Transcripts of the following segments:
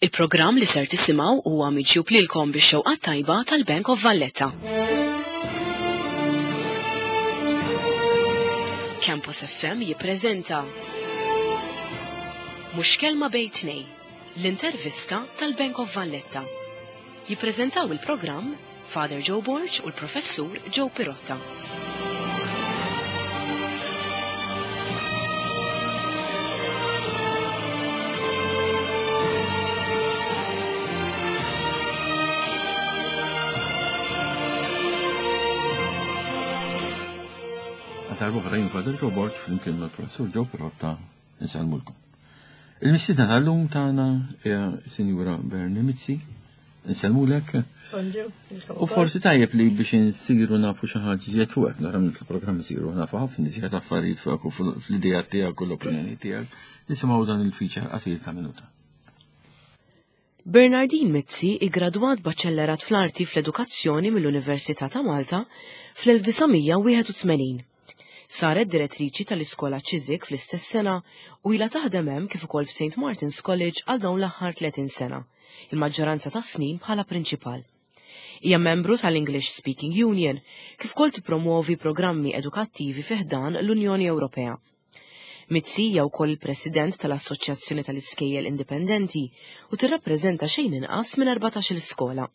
Il-programm li ser tisimgħu huwa miġjub lilkom bix-xewqat tajba tal-Bank of Valletta. Campus FM jippreżenta Mhux kelma bejn tnej, l-intervista tal-Bank of Valletta. Jippreżentaw il-programm Father Joe Borg u l-Professur Joe Pirotta. Għal jien Father Joe Borg flimkien mal-Professur Joe Pirotta nsellmulkom. Il-mistiedna tal-lum tagħna hija Sinjura Bernie Mizzi. Nsellmulek. U forsi tajjeb li biex insiru nafu xi ħaġa iżjed fuqek, nara minn il-programm isiru nafu ħafna iżjed affarijiet fuqek u fl-idea tiegħek u l-opinjoni tiegħek. Nisimgħu dan il-feature qasir ta' minuta. Bernardine Mizzi iggradwat Baċellerat fl-Arti fl-Edukazzjoni mill-Università ta' Malta fl-1981. Saret direttriċi tal-Iskola Chiswick fl-istess sena u ilha taħdem hemm kif ukoll f'St Martin's College għal dawn l-aħħar 30 sena, il-maġġoranza tas-snin bħala prinċipal. Hija membru tal-English Speaking Union kif ukoll tippromwovi programmi edukattivi fi ħdan l-Unjoni Ewropea. Mizzi hija wkoll il-President tal-Assoċjazzjoni tal-Iskejjel Indipendenti u tirrappreżenta xejn inqas minn 14-il skola.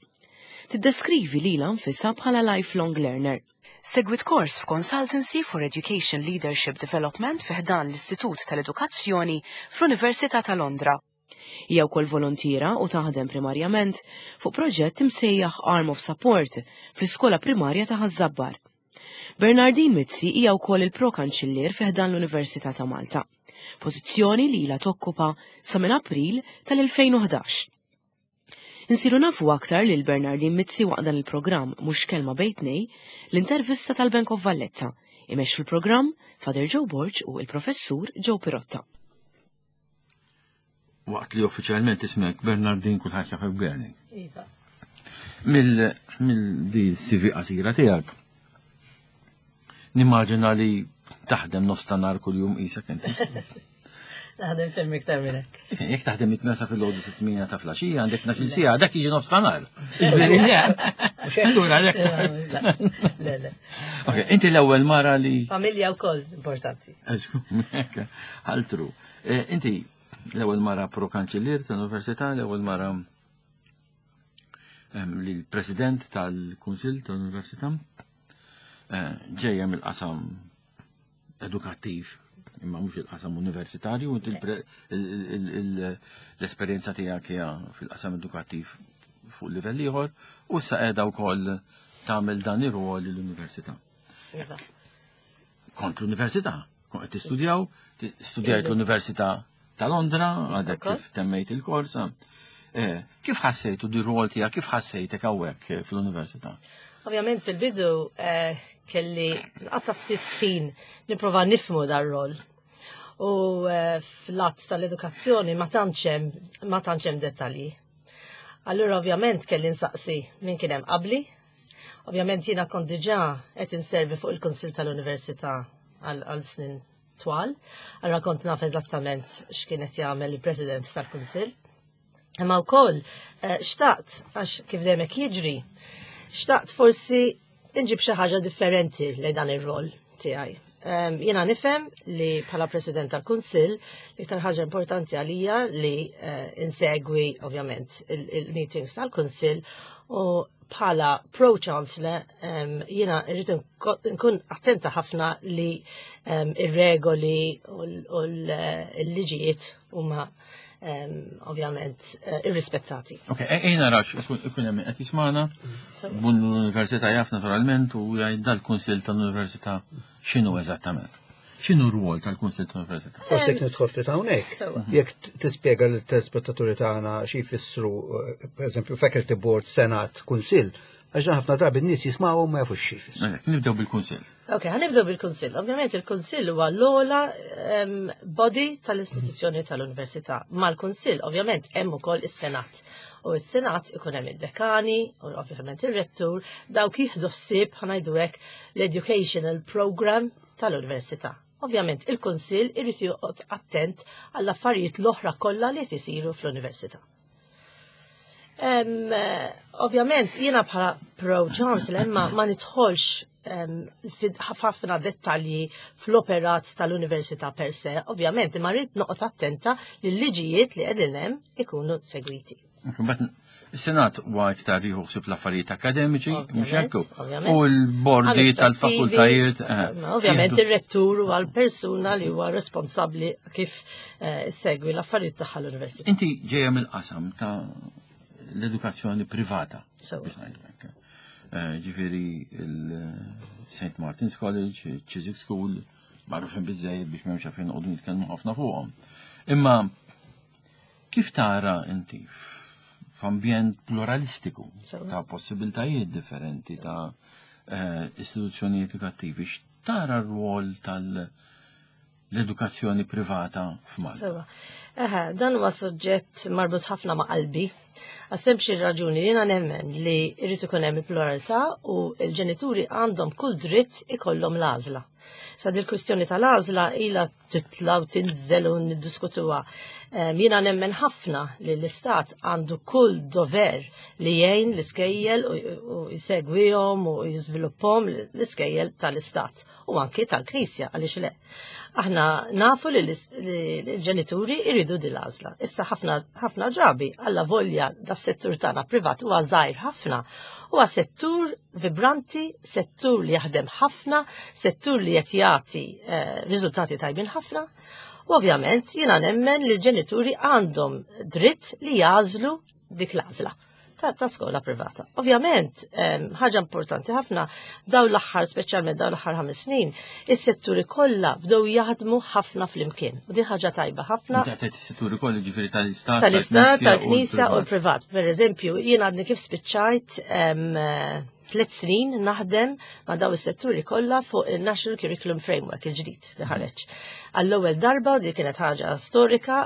Tiddeskrivi lilha nfisha bħala lifelong learner. Segwit kors f'Consultancy for Education Leadership Development fi ħdan l-Istitut tal-Edukazzjoni fl-Università ta' Londra. Hija wkoll volontiera u taħdem primarjament fuq proġett imsejjaħ Arm of Support fl-iskola primarja ta' Ħaż-Żabbar. Bernardine Mizzi hija wkoll il-Pro-Kanċillier fi ħdan l-Università ta' Malta, pożizzjoni li ilha tokkupa sa minn April tal-2011. Insiru nafu aktar lil Bernardine Mizzi waqt dan il-programm Mhux Kelma Bejn Tnejn, l-intervista tal-Bank of Valletta. Imexxu l-programm Father Joe Borg u il-Professur Joe Pirotta. Waqt li uffiċjalment ismek Bernardin kulħadd jafek Bernie. Iva. Mill-di CV qasira tiegħek. Nimmaġina li taħdem nofs ta' nar kuljum qisek inti. Naħdem ferm iktar minn hekk. Jekk taħdem it-tmena fil-għodu sit-tmienja ta' flaxija għandek 12 siegħa, dak jiġi nofs ta' nar. Ġifieri le. Allura Le, le. Ok, inti l-ewwel mara li. Familja wkoll importanti. Altru. Eh, inti l-ewwel mara pro-kanċillier tal-Università, l-ewwel mara ehm, li l-President tal-Kunsill tal-Università eh, ġejja mill-qasam edukattiv imma mhux il-qasam universitarju, l-esperjenza tiegħek hija fil-qasam edukattiv fuq livell ieħor u issa qiegħda wkoll tagħmel dan ir-rwol l-università. Iva. Kont l-università, kont qed tistudjaw, studjajt l-Università ta' Londra, għadek kif temmejt il-korsa. Eh, kif ħassejtu di rwol tiegħek, kif ħassejtek hawnhekk eh, fl-università? Ovvjament fil-bidu eh, kelli nqatta' ftit ħin nipprova nifmu dar rol. U fl-att tal-edukazzjoni ma tantx hemm dettalji. Allura ovvjament kelli nsaqsi min kien hemm qabli, Ovvjament jiena kont diġà qed inservi fuq il-Kunsill tal-Università għal snin twal, allura kont naf eżattament x'kien qed jagħmel il-President tal-Kunsill. Imma wkoll eh, xtaqt għax kif dejjem hekk jiġri, xtaqt forsi inġib xi ħaġa differenti lejn dan ir-rol tiegħi. Jiena nifhem li bħala President tal-Kunsill l-iktar ħaġa importanti għalija li eh, insegwi ovvjament il-meetings tal-Kunsill u bħala pro-chancellor jiena rrid nkun attenta ħafna li ir-regoli u l-liġijiet huma ovvjament eh, irrispettati. Ok, e, ejna rax, ikun hemm qed jismana, bun l-università jaf naturalment u jgħid dal-Kunsill tal-Università x'inhu eżattament. X'inhu r-rwol tal-Kunsill tal-Università? Forsi jekk nidħol ftit hawnhekk. Jekk tispjega lill-telespettaturi tagħna xi jfissru, eh, pereżempju, Faculty Board, Senat, Kunsill, għax ħafna drabi n-nies jismgħu ma jafux xi jfissru. Nibdew bil-Kunsill. Ok, ħanibdew bil-Kunsill. Ovvjament il-Kunsill huwa l-ogħla body tal-istituzzjoni tal-Università. Mal-Kunsill ovvjament hemm ukoll is-Senat. U s-Senat ikun hemm id-dekani, u ovvjament ir-rettur, dawk jieħdu ħsieb ħanajdu hekk l-educational program tal-Università. Ovvjament il-Kunsill irid joqgħod attent għall-affarijiet l-oħra kollha li qed isiru fl-Università. Ovvjament, jiena bħala pro-chancellor ma, ma nidħolx ħafna dettalji fl-operat tal-università per se, ovvjament, imma rrid noqgħod attenta li l-liġijiet li qegħdin hemm ikunu segwiti. Is-Senat huwa iktar jieħu ħsieb l-affarijiet akademiċi, mhux hekk? U l-bordi tal-fakultajiet. Eh, ovvjament ir-rettur huwa l-persuna li huwa responsabbli kif eh, segwi l-affarijiet tagħha l-università. Inti ġejja mill-qasam ta' l-edukazzjoni privata. Eh, ġifieri il-St. Martin's College, Chiswick School, magħrufin biżejjed biex m'hemmx għalfejn noqogħdu nitkellmu ħafna fuqhom. Imma Kif tara inti f'ambjent pluralistiku ta' possibiltajiet differenti ta' eh, istituzzjonijiet edukattivi, x'tara r-rwol tal-edukazzjoni privata f'Malta? Sewa. Eħe, dan huwa suġġett marbut ħafna ma' qalbi. Għasem xi raġuni jiena nemmen li jrid ikun hemm il-pluralità u l-ġenituri għandhom kull dritt ikollhom l-għażla. Sa dil-kwistjoni tal-għażla ilha titla' u tinżel u niddiskutuha. Jiena nemmen ħafna li l-istat għandu kull dover li jgħin l-iskejjel u jsegwihom u jiżviluppahom l-iskejjel tal-istat u anki tal-Knisja għaliex le. Aħna nafu li l-ġenituri jridu din l-għażla. Issa ħafna ħafna drabi alla volja das-settur tagħna privat huwa żgħir ħafna. Huwa settur vibranti, settur li jaħdem ħafna, settur li qed jagħti eh, riżultati tajbin ħafna. U ovvjament jiena nemmen li l-ġenituri għandhom dritt li jażlu dik l-għażla ta', ta skola privata. Ovvjament, ħaġa importanti ħafna, daw l-aħħar, speċjalment daw l-aħħar ħames snin, is-setturi kollha bdew jaħdmu ħafna flimkien. U di ħaġa tajba ħafna. Is-setturi kollha ġifieri tal-istat. Tal-istat, tal-knisja u l-privat. Per eżempju, jien għadni kif spiċċajt tliet snin naħdem ma' daw is-setturi kollha fuq il-National Curriculum Framework il-ġdid li ħareġ. Għall-ewwel darba di kienet ħaġa storika,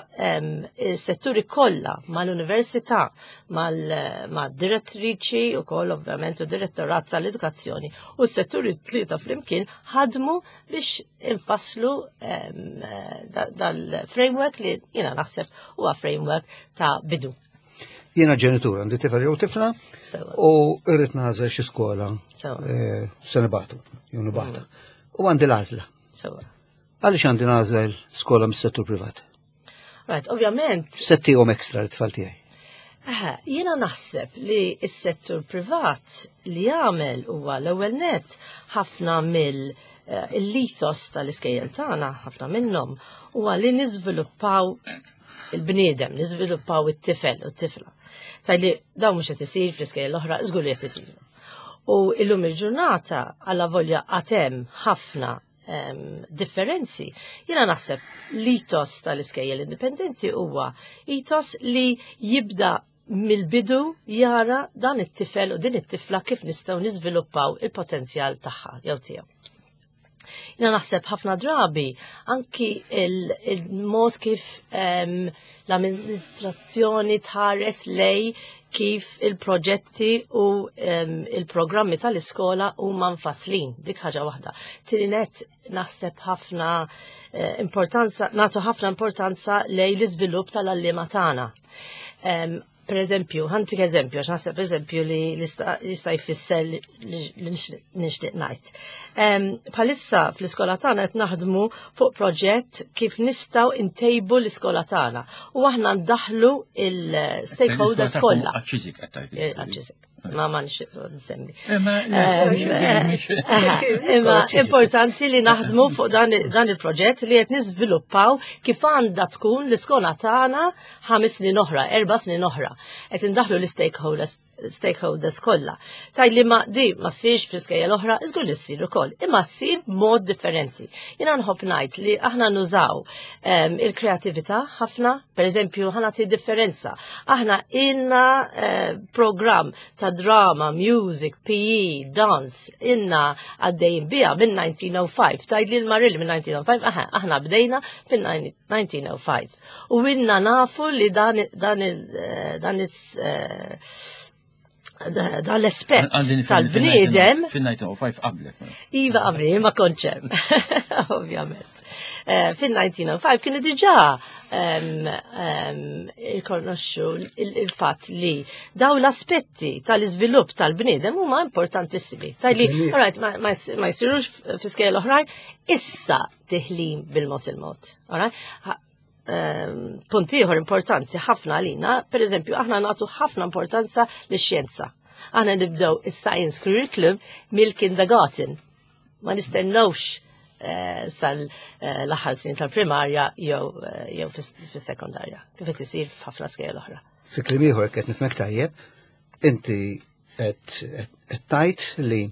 is-setturi kollha mal-università, mal-direttriċi u koll ovvjament u direttorat tal-edukazzjoni u s-setturi tlieta flimkien ħadmu biex infasslu dal-framework li jiena naħseb huwa framework ta' bidu. Jiena ġenitur, għandi tifel jew tifla u irrid nagħżel xi skola eh, se nibatu, jew nibata. Mm. U għandi l-għażla. Għaliex għandi nagħżel skola mis-settur privat? Right, ovvjament. Settihom ekstra l-tfal tiegħi. Jiena naħseb li s-settur privat li jagħmel huwa l-ewwel net ħafna mill eh, l-ethos tal-iskejjel tagħna, ħafna minnhom, huwa li niżviluppaw il-bniedem, niżviluppaw it-tifel u t-tifla. Tajli dawn mhux qed isir fl-iskejjel l-oħra, żgur li qed isir. U illum il-ġurnata għalla volja għatem ħafna differenzi. Jiena naħseb l-itos tal-iskejjel indipendenti huwa itos li jibda mill-bidu jara dan it-tifel u din it-tifla kif nistgħu niżviluppaw il-potenzjal tagħha jew tiegħu. Jina naħseb ħafna drabi anki il-mod kif l-amministrazzjoni tħares lej kif il-proġetti u il-programmi tal-iskola huma mfasslin, dik ħaġa waħda. Tieni net naħseb ħafna eh, importanza, nagħtu ħafna importanza lej l-iżvilupp tal-għalliema tagħna. Per eżempju, ħantik eżempju, għax naħseb eżempju li jista' jfisser li nixtieq ngħid. Bħalissa fl-iskola tagħna qed naħdmu fuq proġett kif nistgħu ntejbu l-iskola tagħna u aħna ndaħlu il-stakeholders kollha. Għaċ-Chiswick qed tgħid. Eh, għaċ-Chiswick. Ma ma nixtieq nsemmi. Eh, imma importanti li naħdmu fuq dan il-proġett li qed niżviluppaw kif għandha tkun l-iskola tagħna ħames snin oħra, erba' snin oħra. Qed indaħlu l-stakeholders stakeholders kollha. Taj li ma di ma ssirx fl-iskejjel oħra, iżgur li ssir ukoll, imma ssir b'mod differenti. Jiena nħobb ngħid li aħna nużaw ehm, il-kreatività ħafna, per eżempju, ħa nagħti differenza. Aħna ilna eh, program ta' drama, music, PE, dance, ilna għaddejjin biha minn 1905. Tajd li l-Marilli minn 1905, aħna bdejna fin-1905. U ilna nafu li dan dan eh, dan eh, Dan l-aspett tal-bniedem. Fin-1905 qablek. Mela. Iva qabli, ma konċem, ovvjament. Eh, fin-1905 kienu diġà irkonoxxu il-fatt li daw l-aspetti tal-iżvilupp tal-bniedem huma importantissimi. Tajli, alright, ma jsirux fi skejjel oħrajn, issa diħlin bil-mod il-mod. Alright? Punt ieħor importanti ħafna għalina, per eżempju, aħna nagħtu ħafna importanza lix-xjenza. Aħna nibdew is-science curriculum mill-kindergarten. Ma nistennewx eh, sal-aħħar eh, snin tal-primarja jew eh, jew fis-sekondarja, kif qed isir f'ħafna skejjel oħra. Fi kliem ieħor qed nifhmek tajjeb, inti qed tajt li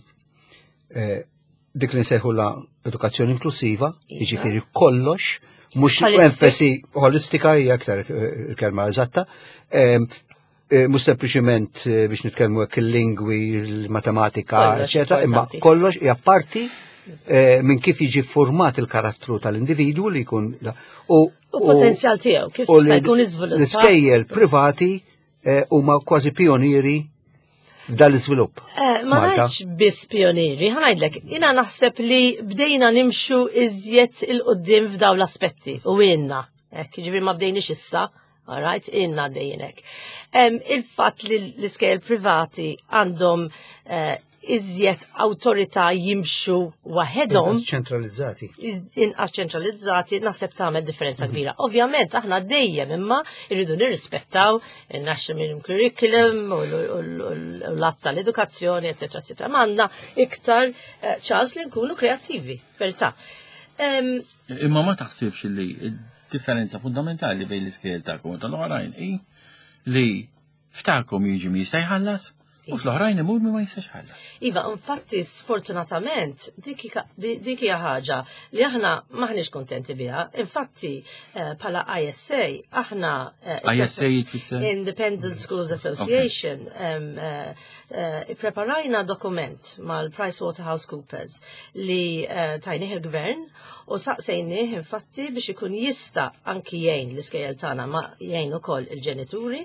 dik li nsejħula edukazzjoni inklusiva, iva. jiġifieri kollox, mhux enfasi holistika hija aktar eh, il-kelma eżatta, eh, mhux sempliċiment eh, biex nitkellmu hekk il-lingwi, il-matematika, eċetera, imma kollox hija parti minn kif jiġi format il-karattru tal-individwu li jkun u potenzjal tiegħu kif se jkun iżviluppat. L-iskejjel privati huma kważi pionieri f'dan l-iżvilupp. Eh, ma ngħidx biss pionieri, ħanajdlek, jiena naħseb li bdejna nimxu iżjed il-qudiem f'daw l-aspetti u għinna. Hekk, jiġifieri ma bdejniex issa, alright, inna dejjenek. Il-fatt li l-iskejjel privati għandhom eh, iżjed awtorità jimxu waħedhom. Inqas ċentralizzati. Inqas ċentralizzati naħseb tagħmel differenza mhm. kbira. Ovvjament aħna dejjem imma irridu nirrispettaw il-National Minimum Curriculum u l-att tal-edukazzjoni, eċetera, eċetera. Ma għandna iktar eh, ċans li nkunu kreattivi, verità. Imma ma taħsibx li differenza fundamentali bejn l-iskejjel tagħkom u tal-oħrajn hi li F'tagħkom jiġi min jista' jħallas u fl-oħrajn imur min ma jistax jħallas. Iva, infatti sfortunatament dik hija ħaġa li aħna maħniex kontenti biha. Infatti eh, bħala ISA aħna eh, ISA jitfisser Independent Schools Association eh, ippreparajna dokument mal-PricewaterhouseCoopers li tajnih il-gvern U saqsejnieh infatti biex ikun jista' anki jgħin l-iskejjel tagħna ma jgħin ukoll il-ġenituri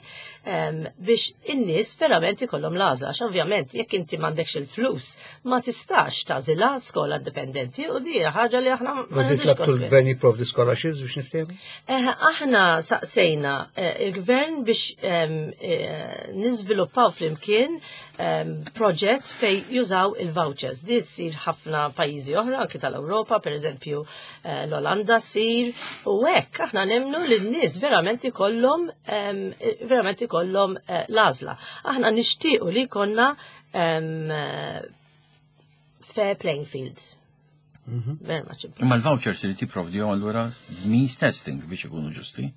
biex in-nies verament ikollhom l-għażla għax ovvjament jekk inti m'għandekx il-flus ma tistax tagħżilha skola indipendenti u di ħaġa li aħna ma nridux. Il-gvern jipprovdi scholarships biex niftehmu? Eh, aħna saqsejna eh, il-gvern biex eh, niżviluppaw flimkien proġett fej jużaw il-vouchers. Di ssir ħafna pajjiżi oħra, anki tal-Ewropa, per eżempju eh, l-Olanda ssir, u hekk aħna nemnu li n-nies verament ikollhom verament ikollhom eh, l-għażla. Aħna nixtiequ li jkollna fair playing field. Mhm. Very much Imma l-vouchers li tipprovdi allura means testing biex ikunu ġusti.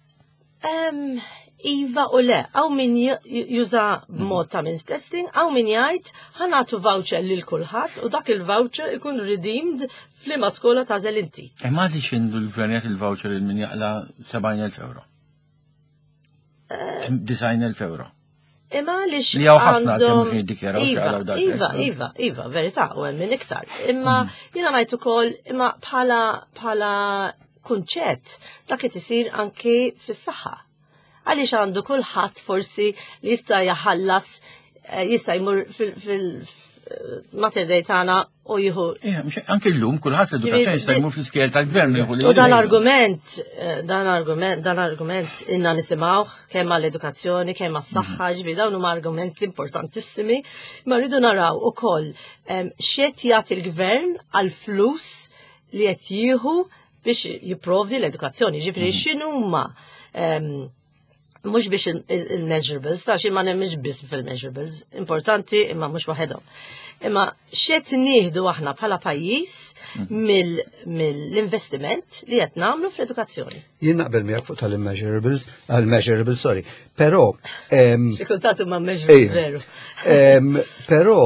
Iva u le, għaw min juża b'mod ta' means testing, għaw min jgħid ħanatu voucher lil kulħadd u dak il-voucher ikun redeemed f'liema skola ta' inti. Imma li xindu l-gvern jagħti il-voucher il min jaqla 70,000 euro. 90,000 euro. Imma għaliex Li hawn ħafna għandhom mhux jiddikjaraw Iva, iva, iva, iva, verità, u hemm min iktar. Imma mm. jiena ngħid ukoll imma bħala bħala kunċett dak qed isir anki fis-saħħa. Għaliex għandu kulħadd forsi li jista' jaħallas eh, jista' jmur fil Mater Dei tagħna u jieħu. Anke llum kulħadd l-edukazzjoni jista' jmur fl-iskejjel tal-gvern jieħu U dan argument, eh, dan argument, dan argument inna nisimgħuh kemm għall-edukazzjoni, kemm għas-saħħa, mhm. ġifieri dawn huma argumenti importantissimi, ma rridu naraw ukoll x'qed jagħti l-gvern għall-flus li qed jieħu biex jipprovdi l-edukazzjoni, ġifieri mhm. x'inhuma mhux biex il-measurables, ta' xi ma nemminx biss fil-measurables, importanti imma mhux waħedhom. Imma xed nieħdu aħna bħala pajjiż mhm. mill-investiment li qed nagħmlu fl-edukazzjoni. Jien naqbel miegħek fuq tal-immeasurables, għal-measurables, sorry. Però Xi kultant huma measurables veru. Però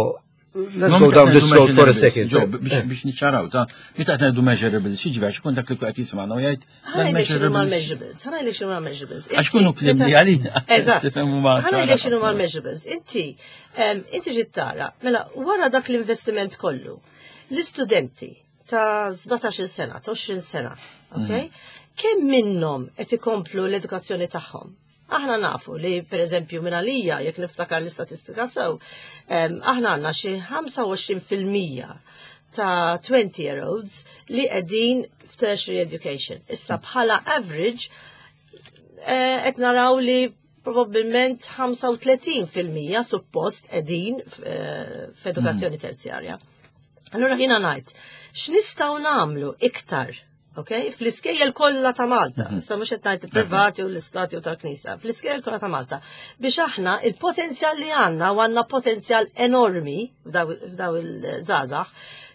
Let's go down this road for a second. Ġo, biex niċċaraw, ta' meta qed ngħidu measurables, xi ġifieri x'ikun dak li qed jismagħna u jgħid measurables. Measurables, ħa ngħidlek x'inhuma measurables. Għax kunu kliem li għalina. Eżatt. Ħa ngħidlek x'inhuma measurables. Inti, inti ġiet tara, mela wara dak l-investiment kollu, l-istudenti ta' 17 sena, ta' 20 sena, ok? Mm. Kemm minnhom qed ikomplu l-edukazzjoni tagħhom? Aħna nafu li per eżempju minn għalija, jekk niftakar l-istatistika sew, aħna għandna xi 25% ta' 20 year olds li qegħdin f'tertiary education. Issa bħala average eh, qed naraw li probabbilment 35% suppost qegħdin eh, f'edukazzjoni mm. terzjarja. Allura jiena ngħid, x'nistgħu nagħmlu iktar Ok? Fl-iskejjel kollha ta' Malta, mhm. issa mhux qed ngħid privati u l-istati u tal-Knisja, fl-iskejjel kollha ta' Malta, biex aħna il-potenzjal li għandna u għandna potenzjal enormi f'daw il-żgħażagħ,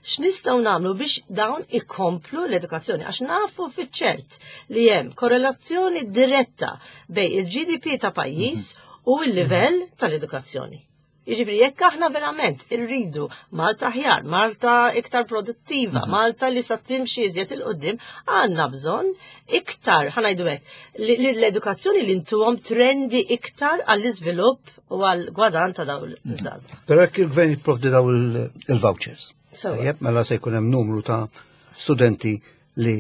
x'nistgħu nagħmlu biex dawn ikomplu l-edukazzjoni għax nafu fiċ-ċert li hemm korrelazzjoni diretta bej il-GDP ta' pajjiż mhm. u l-livell mhm. tal-edukazzjoni. Jiġifieri jekk aħna verament irridu Malta aħjar, Malta iktar produttiva, mhm. Malta li sa timxi iżjed il-qudiem, għandna bżonn iktar, ħanajdu hekk, li l-edukazzjoni li ntuhom trendi iktar għall-iżvilupp u għall-gwadan ta' dawn mhm. iż-żgħażagħ. Però jekk il-gvern jipprovdi daw il-vouchers. Tajjeb, mela se jkun hemm numru ta' studenti li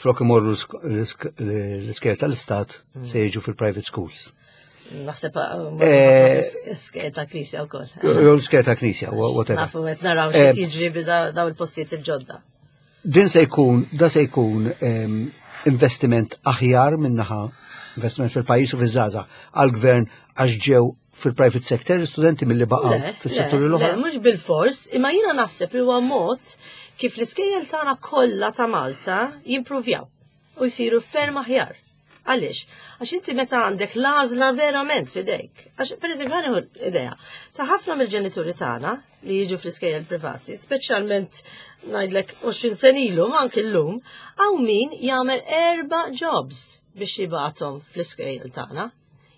flok imorru l-iskejjel tal-istat mm. se jiġu fil-private schools. Naħseb uh, eh, l-iskejjel ta' knisja wkoll. Jew l-iskejjel ta' knisja, whatever. Nafu qed naraw xi eh, tiġri daw il-postijiet il-ġodda. Din se jkun, da se jkun ehm, investiment aħjar minnaħa investiment fil-pajjiż u fiż-żgħażagħ għall-gvern għax ġew fil-private sector l-istudenti mill-li baqgħu fis-setturi l-oħra? Le, mhux bil-fors, imma jiena naħseb li huwa mod kif l-iskejjel tagħna kollha ta' Malta jimpruvjaw u jsiru ferm aħjar. Għaliex? Għax inti meta għandek l-għażla verament fidejk. Għax, per eżempju, ħanieħu idea ta' ħafna mill-ġenituri tagħna li jiġu fl-iskejjel privati, speċjalment ngħidlek 20 sen ilu, ma anki llum, hawn min jagħmel erba' jobs biex jibgħathom fl-iskejjel tagħna.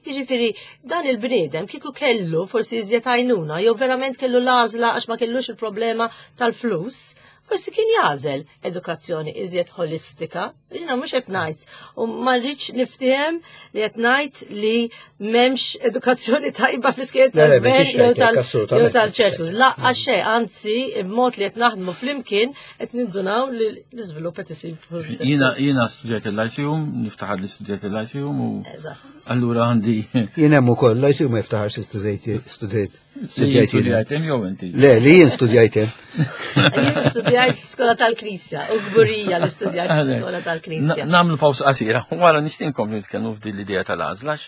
Jiġifieri dan il-bniedem kieku kellu forsi iżjed għajnuna jew verament kellu l-għażla għax ma kellux il-problema tal-flus, forsi kien jagħżel edukazzjoni iżjed holistika. Jiena mhux qed ngħid u ma rridx niftiehem li qed ngħid li m'hemmx edukazzjoni tajba fl-iskejjel tal-gvern jew tal-ċertu. Laqqa xejn, anzi, b'mod li qed naħdmu flimkien qed nindunaw li l-iżvilupp qed isir. Jiena jiena studjajt il-Lyceum, niftaħar li studjajt il-Lyceum u allura għandi. Jien hemm ukoll Lyceum ma jiftaħarx li studjajt studjajt. Studjajt hemm jew inti? Le, li jien studjajt hemm. Jien studjajt f'skola tal-Knisja u kburija li studjajt f'skola tal-Knisja. Nagħmlu pawsa qasira, wara nixtinkom nitkellmu f'din l-idea tal-għażla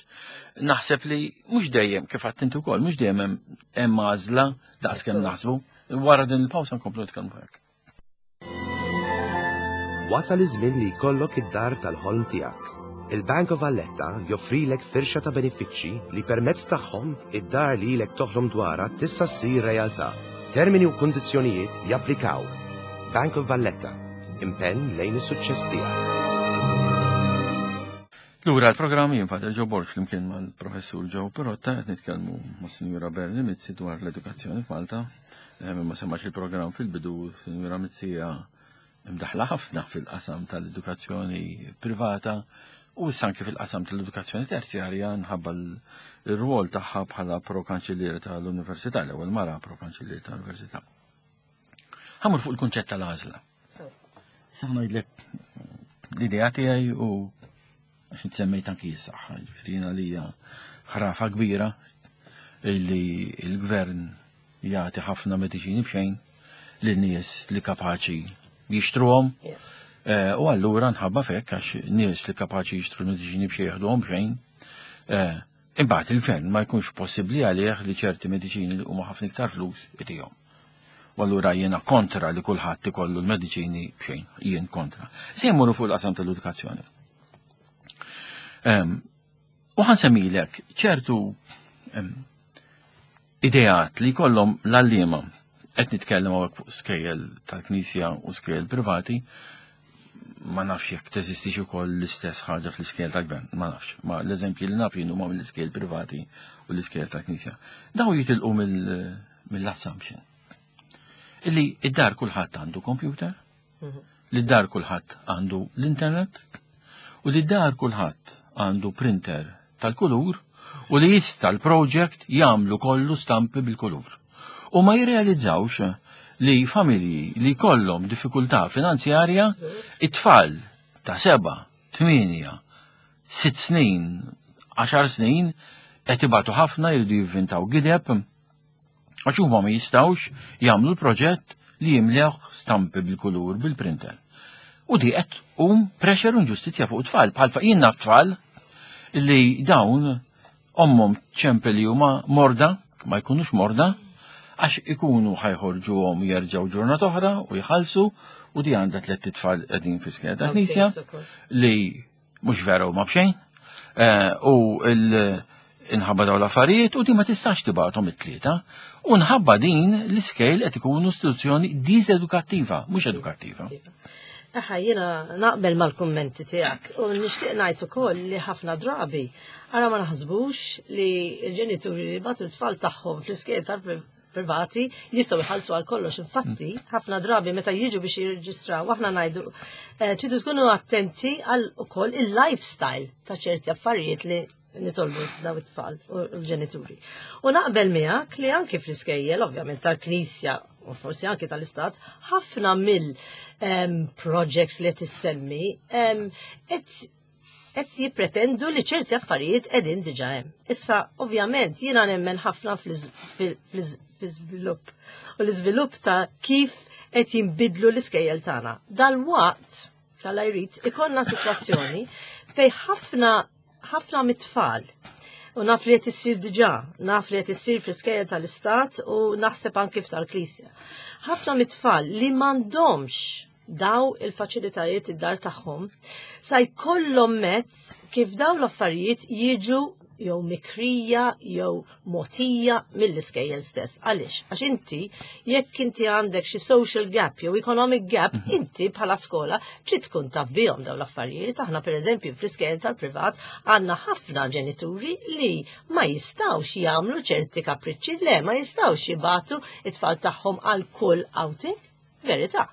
naħseb li mhux dejjem kif għadt inti wkoll, mhux dejjem hemm għażla daqskemm naħsbu. Wara din il-pawsa nkomplu nitkellmu hekk. Wasal iż-żmien li jkollok id-dar tal-ħolm tiegħek. Il-Bank of Valletta joffrilek firxa ta' benefiċċji li permezz tagħhom id-dar li ilek toħlom dwarha tista' ssir realtà. Termini u kundizzjonijiet japplikaw. Bank of Valletta, impenn lejn is-suċċess tiegħek. Lura l-programm jien Father Joe Borg flimkien mal-Professur Joe Pirotta qed nitkellmu mas-Sinjura Berni Mizzi dwar l-edukazzjoni f'Malta. Eh, ma semmax il-programm fil-bidu, Sinjura Mizzi hija imdaħla ħafna fil-qasam tal-edukazzjoni privata u issa anke fil-qasam tal-edukazzjoni terzjarja nħabba l-rwol tagħha bħala pro-kanċilliera tal-Università, l-ewwel mara pro-kanċilliera tal-Università. Ħamur fuq il-kunċett tal-għażla. Sa ngħidlek l-idea tiegħi u għax semmejt anki s-saħħa, ġifieri jiena li hija ħrafa kbira illi l-gvern jagħti ħafna mediċini b'xejn lil nies li kapaċi jixtruhom. Eh, u allura nħabba fekk għax nies li kapaċi jixtru mediċini b'xejn jaħduhom b'xejn. Eh, imbagħad il-gvern ma jkunx possibbli għalih li ċerti mediċini li huma ħafna iktar flus itihom. U allura jiena kontra li kulħadd ikollu l-mediċini b'xejn, jien kontra. Se jmorru fuq il-qasam tal-edukazzjoni. Ehm, u ħansemmilek ċertu ehm, ideat li jkollhom l-għalliema qed nitkellem hawnhekk fuq skejjel tal-Knisja u skejjel privati, ma nafx jekk teżistix ukoll l-istess ħaġa fl-iskejjel tal-gvern, ma nafx. Ma l-eżempji li naf jien huma mill-iskejjel privati u l-iskejjel tal-Knisja. Daw jitilqu mill-assumption illi id-dar kulħadd għandu computer, mhm. li d-dar kulħadd għandu l-internet, u li d-dar kulħadd għandu printer tal-kulur u li jista' l-project jagħmlu kollu stampi bil-kulur. U ma jirrealizzawx li familji li kollhom diffikultà finanzjarja, it-tfal ta' seba, tminja, sitt snin, 10 snin qed ibatu ħafna jridu jivvintaw gideb għax huma ma jistgħux jagħmlu l-proġett li jimlewh stampi bil-kulur bil-printer. U di qed um pressure u inġustizzja fuq tfal bħal jien naf tfal li dawn ommhom ċempel li huma morda, ma jkunux morda, għax ikunu ħajħorġuhom jerġgħu ġurnata oħra u jħallsu u di għandha tlett itfal qegħdin fi skeda ta' knisja li mhux vera huma b'xejn. Eh, u inħabba daw l-affarijiet u di ma tistax tibgħathom it-tlieta. U nħabba din l-iskejl qed ikunu istituzzjoni diżedukattiva, mhux edukattiva. Aħa, jiena naqbel mal-kummenti tiegħek u nixtieq ngħid ukoll li ħafna drabi ara ma naħsbux li l-ġenituri li bagħtu t-tfal tagħhom fl-iskejl tal-privati jistgħu jħallsu għal kollox. Infatti, ħafna drabi meta jiġu biex jirreġistraw aħna ngħidu eh, tridu tkunu attenti għal ukoll il-lifestyle ta' ċerti affarijiet li nitolbu daw it-tfal u l-ġenituri. U naqbel miegħek li anki fl-iskejjel, ovvjament tal-Knisja u forsi anki tal-Istat, ħafna mill projects li qed issemmi qed jippretendu li ċerti affarijiet qegħdin diġà hemm. Issa, ovvjament, jiena nemmen ħafna fl-iżvilupp u l-iżvilupp ta' kif qed jinbidlu l-iskejjel tagħna. Dal-waqt, tal-jrid, ikollna sitwazzjoni fej ħafna ħafna mit-tfal u naf li qed issir diġà, naf li qed issir fl-iskejjel tal-istat u naħseb anki tal-Knisja. Ħafna mit-tfal li m'għandhomx daw il-faċilitajiet id-dar tagħhom sa jkollhom mezz kif daw l-affarijiet jiġu jew mikrija jew mogħtija mill-iskejjel stess. Għaliex? Għax inti jekk inti għandek xi social gap jew economic gap, mhm. inti bħala skola trid tkun taf bihom dawn l-affarijiet. Aħna pereżempju fl-iskejjel tal-privat għandna ħafna ġenituri li ma jistgħux jagħmlu ċerti kapriċċi, le ma jistgħux jibatu it-tfal tagħhom għal kull outing. Verità.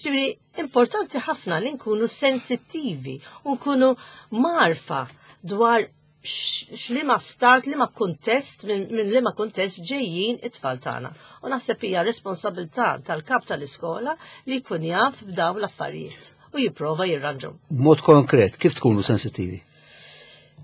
Ġifieri importanti ħafna li nkunu sensittivi u nkunu marfa dwar x'liema start, liema kuntest, minn liema kuntest ġejjin it-tfal tagħna. U naħseb hija responsabilità tal-kap tal-iskola li jkun jaf b'dawn l-affarijiet u jipprova jirranġhom. B'mod konkret, kif tkunu sensittivi?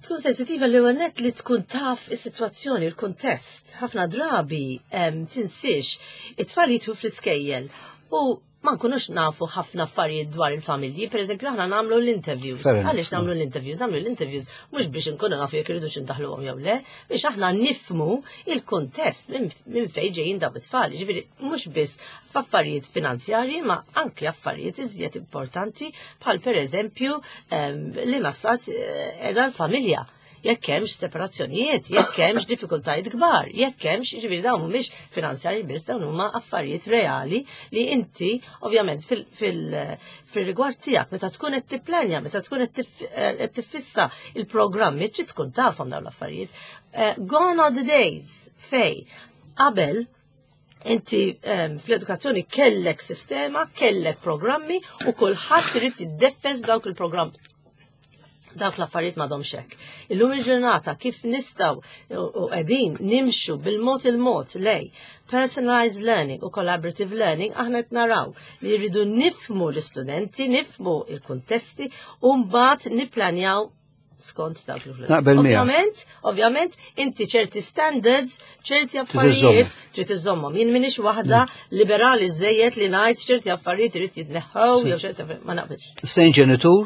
Tkun sensitiva li għannet li tkun taf is-sitwazzjoni, il-kuntest. Ħafna drabi tinsiex it-tfal jithu fl-iskejjel u ma nkunux nafu ħafna affarijiet dwar il-familji, per eżempju aħna nagħmlu l-interviews. Għaliex nagħmlu l-interviews? Nagħmlu l-interviews mhux biex inkunu nafu jekk iridux indaħluhom jew le, biex aħna nifmu il-kuntest minn fejn ġejjin dawn it-tfal. Ġifieri mhux biss f'affarijiet finanzjarji ma anke affarijiet iżjed importanti bħal per eżempju ehm, li ma stat eh, edha l-familja jekk hemmx separazzjonijiet, jekk hemmx diffikultajiet kbar, jekk hemmx, jiġifieri dawn mhumiex finanzjarji biss, dawn huma affarijiet reali li inti ovvjament fil-rigward tiegħek meta tkun qed tipplanja, meta tkun qed eh, tiffissa il-programmi trid tkun tafhom dawn l-affarijiet. Eh, gone are the days fej qabel inti ehm, fl-edukazzjoni kellek sistema, kellek programmi u kulħadd irid jiddeffes dawk il-programmi dawk l-affarijiet m'għadhomx hekk. Illum il-ġurnata kif nistgħu u qegħdin nimxu bil-mod il-mod lej personalized learning u collaborative learning aħna qed naraw li rridu nifmu l-istudenti, nifmu il-kuntesti u mbagħad nipplanjaw skont dawk l Naqbel Ovvjament, ovvjament, inti ċerti standards, ċerti affarijiet trid iżommhom. Jien minix waħda mm. liberali żejjed li ngħid ċerti affarijiet irid jitneħħew jew ċerti ma naqbilx. Sejn ġenitur,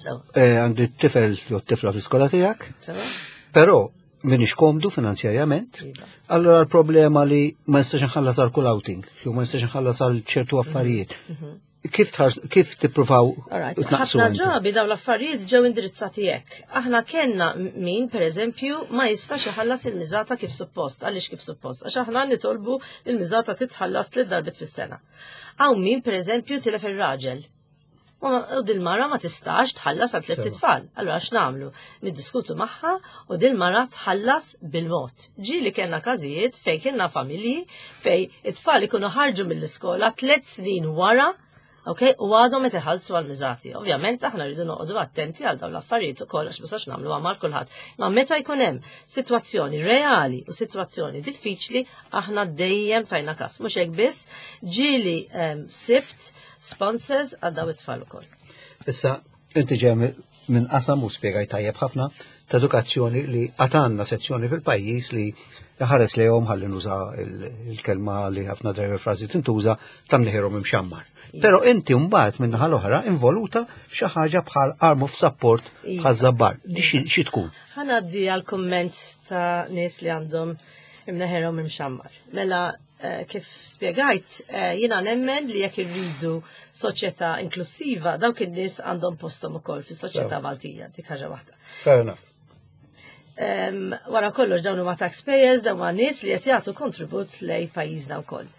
eh, għandi tifel jew tifla fl-iskola tiegħek. Però minix komdu finanzjarjament, iva. allora l-problema li ma nistax nħallas għal kull outing, jew ma nistax nħallas għal ċertu mhm. affarijiet. Mhm. Kif kif tippruvaw tnaqsu? Ħafna drabi dawn l-affarijiet ġew indirizzati hekk. Aħna kellna min, pereżempju, ma jistax iħallas il-miżata kif suppost. Għaliex kif suppost? Għax aħna nitolbu il-miżata titħallas tliet darbit fis-sena. Hawn min, pereżempju, tilef ir-raġel. U dil-mara ma tistax tħallas għal tliet tfal. Allura x'nagħmlu? Niddiskutu magħha u dil-mara tħallas bil-mod. Ġieli kellna każijiet fejn kellna familji fej it-tfal ikunu ħarġu mill-iskola tliet snin wara Ok, u għadhom qed iħallsu għal miżati. Ovvjament aħna rridu noqogħdu attenti għal dawn l-affarijiet ukoll għax ma nagħmlu għamal kulħadd. Ma meta jkun hemm sitwazzjoni reali u sitwazzjoni diffiċli, aħna dejjem tajna kas. Mhux hekk biss, ġieli ehm, sibt sponsors għal dawn it-tfal ukoll. Issa, inti ġej minn qasam u spjegaj tajjeb ħafna. ta' edukazzjoni li għatanna sezzjoni fil-pajjiż li ħares lejhom ħalli nuża il-kelma li ħafna drabi frażi tintuża ta' mniħirhom imxammar. Però inti mbagħad minn naħa l-oħra involuta f'xi ħaġa bħal arm of support iva. bħal żabbar. Di xi tkun? Ħanaddi għal kumment ta' nies li għandhom imneħerhom imxammar. Mela eh, kif spjegajt, eh, jiena nemmen li jekk irridu soċjetà inklusiva, dawk in-nies għandhom posthom ukoll fis-soċjetà Maltija, dik ħaġa waħda. Fair enough. Wara kollox dawn huma taxpayers, dawn huma nies li qed jagħtu kontribut lej pajjiżna wkoll.